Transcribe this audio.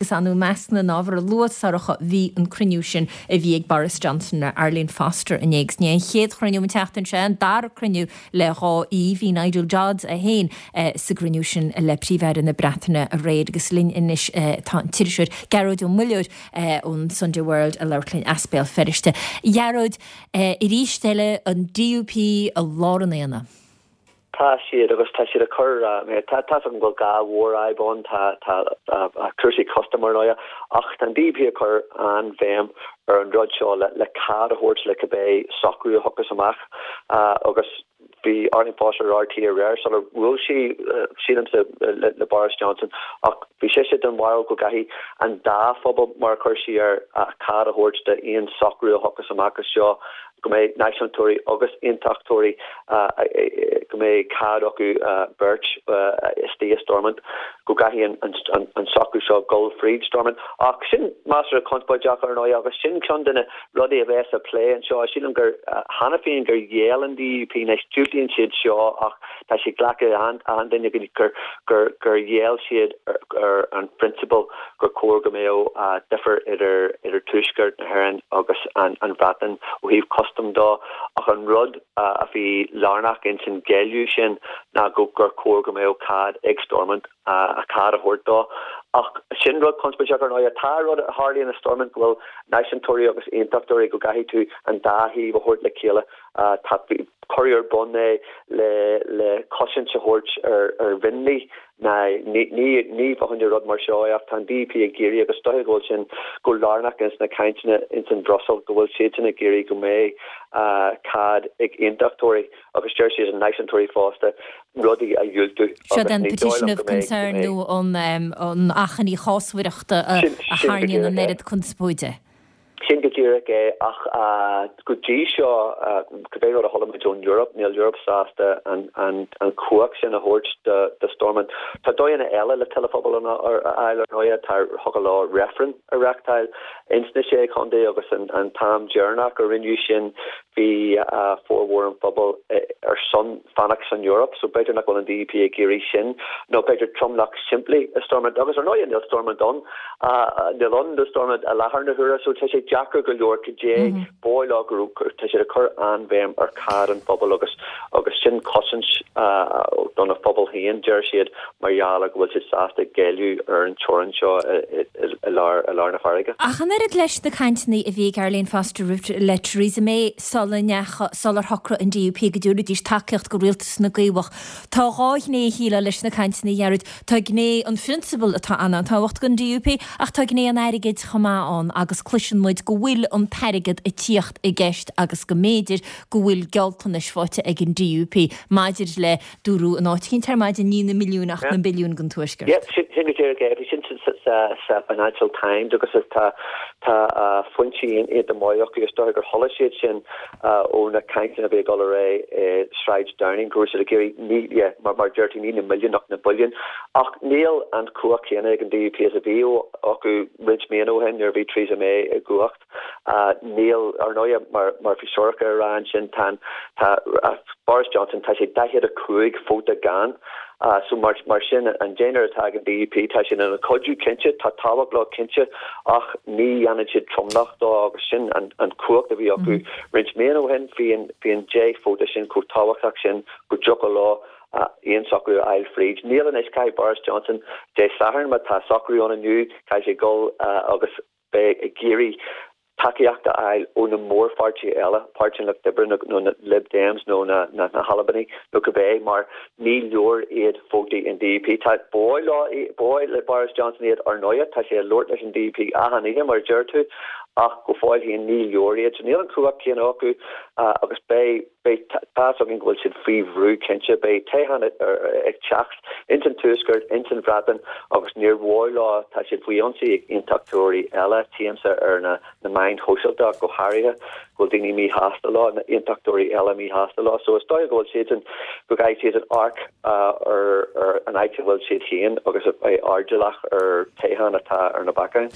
Agus i measc na n-ábhar a luadh, Sorcha, bhí an cruinniú sin a bhí ag Boris Johnson le Arlene Foster inné agus ní an chéad chruinniú an tseachtain seo, an dara cruinniú le 2 mhí. Bhí Nigel Dodds é féin sa gcruinniú sin le Príomh-Aire na Breataine aréir agus linn anois tá an t-iriseoir Gearóid Ó Muilleoir ón Sunday World ag labhairt linn as Béal Feirste. A Ghearóid, arís eile an DUP i lár an aonaigh. Tá siad, agus tá siad ag cur, tá tá's agam go bhfuil dhá mhórfhadhb ann, tá, tá cúrsaí custaim ar ndóighe, ach tá an DUP ag cur an-bhéim ar an rud seo le, le cead a thabhairt le cibé socrú a thiocfas amach agus bhí Arlene Foster ar RTÉ aréir sular bhuail sí, sílimse, le, le Boris Johnson ach bhí sise den bharúil go gcaithfidh an dá phobal, mar a chuir sí air, cead a thabhairt d'aon socrú a thiocfas amach as seo. go mbeidh náisiúntóirí agus aontachtóirí, go mbeidh cead acu beirt istigh i Stormont, go gcaithfidh an socrú seo dul fríd Stormont. Ach sin measartha conspóideach ar ndóigh agus sin ceann de na rudaí a bheas á plé anseo. Sílim gur cheana féin gur ghéill an DUP, anois diúltaíonn siad seo ach tá sé glactha ag achan duine gur gur ghéill siad ar an phrionsabal gur chóir go mbeadh difear idir idir Tuaisceart na hÉireann agus an an Bhreatain ó thaobh custam dó ach an rud a bhí lárnach ins an ghéilleadh sin ná go gur chóir go mbeadh cead ag Stormont a cead a thabhairt dó. Ach sin rud conspóideach ar ndóigh. Tá rud a tharlaíonn i Stormont go bhfuil náisiúntóirí agus aontachtóirí go gcaithfidh tú an dá thaobh a thabhairt le chéile. Tá, cuireadh ar bun é le le cosaint a thabhairt ar ar mhionlaigh ná ní ní ní fá choinne rud mar seo é ach tá an DUP ag iarraidh agus is dóiche go bhfuil sin go lárnach ins na cainteanna ins an Bhruiséil go bhfuil siadsan ag iarraidh go mbeidh cead ag aontachtóirí agus deir siad náisiúntóirí fosta rudaí a dhiúltú Seo agus an ní dóigh petition liom of go mbeidh go concern mbeidh nó an an achainí chásmhaireachta a Sin a sin go tharraingíonn an díreach é. oiread conspóide. Sin go díreach é, ach go dtí seo, cibé rud a chuala muid ón Eoraip, níl Europe sásta an chumhacht sin a thabhairt do Stormont. Tá dóigheanna eile le tuilleadh pobail a fháil ar ndóighe, tá thiocfadh leo reifreann a reachtáil ins na Sé Chontae agus an t-am deireanach a rinneadh sin bhí formhór an phobail ar son fanacht san Eoraip, so b'fhéidir nach bhfuil an DUP ag iarraidh sin, nó b'fhéidir tromlach simplí i Stormont, agus ar ndóighe níl Stormont ann, níl ann do Stormont i láthair na huaire, so tá sé deacair go leor cad é ba mhaith leo go raibh, tá siad ag cur an-bhéim ar cead an phobail agus agus sin cosaint do na phobail féin, deir siad, mar gheall ar go bhfuil siad sásta géilleadh ar an teorainn seo i lár i lár na farraige. Ach an oiread leis na cainteanna a bhí ag Arlene Foster le Theresa May sula ndeacha, sular shocraigh an DUP go dtabharfaidís tacaíocht do rialtas na gCaomhach, tá dhá ghné, shílfeá, leis na cainteanna, a Ghearóid. Tá gné an phrionsabail atá an-tábhachtach don DUP ach tá gné an airgid chomh maith ann agus cloiseann muid go bhfuil an t-airgead ag tíocht i gceist agus go mb'fhéidir go bhfuil gealltanais faighte ag an DUP maidir le Dúradh in áit eicínt ar maidin, ní na milliúin ach na billiúin don Tuaisceart. Yeah, sin go díreach é. Bhí sin sa Financial Times agus tá tá foinsí iontach maith acu. Is dócha gur chuala siad sin ó na cainteanna a bhí ag dul ar aghaidh i Sráid Downing go raibh siad ag iarraidh ní, yeah, mar mar deir tú, ní na milliúin ach na billiúin. Ach níl an chumhacht chéanna ag an DUP is a bhí acu roinnt míonna ó shin nuair a bhí Theresa May i gcumhacht. Níl, ar ndóighe, mar mar bhí Sorcha ag rá ansin, tá tá Boris Johnson, tá sé 45 vóta gann. So mar mar sin, an deichniúr atá ag an DUP, tá siad ina cuidiú cinnte, tá tábhacht leo cinnte, ach ní dhéanann siad tromlach dó agus sin an an chumhacht a bhí acu roinnt míonna ó shin, bhí an bhí an 10 vóta sin chomh tábhachtach sin go dtiocfadh leo aon socrú a fháil fríd. Níl anois, caithfidh Boris Johnson Dé Sathairn, má tá socrú ann inniu, caithfidh sé dul agus beidh ag iarraidh tacaíocht a fháil ó na mórpháirtithe eile, Páirtí an Lucht Oibre nó na Lib Dems nó na hAlbanaigh nó cibé, mar ní leor iad vótaí an DUP. Tá, ba mhaith leo, ba mhaith le Boris Johnson iad ar ndóighe, tá sé ag labhairt leis an DUP achan oíche mar a deir tú, ach go fóill féin ní leor iad. So níl an chumhacht chéanna acu agus beidh. Beidh tá's againn go bhfuil siad faoi bhrú cinnte. Beidh toghchán ag teacht ins an Tuaisceart, ins an Bhreatain agus níor mhór leo, tá siad faoi ionsaí ag aontachtóirí eile, tchímse ar na na meáin shóisialta ach go háirithe, go bhfuil daoine míshásta leo, na aontachtóirí eile míshásta leo. So is dóigh go bhfuil siadsan, go gcaithfidh siadsan amharc ar ar an áit a bhfuil siad féin agus a bheith airdeallach ar toghchán atá ar na bacáin.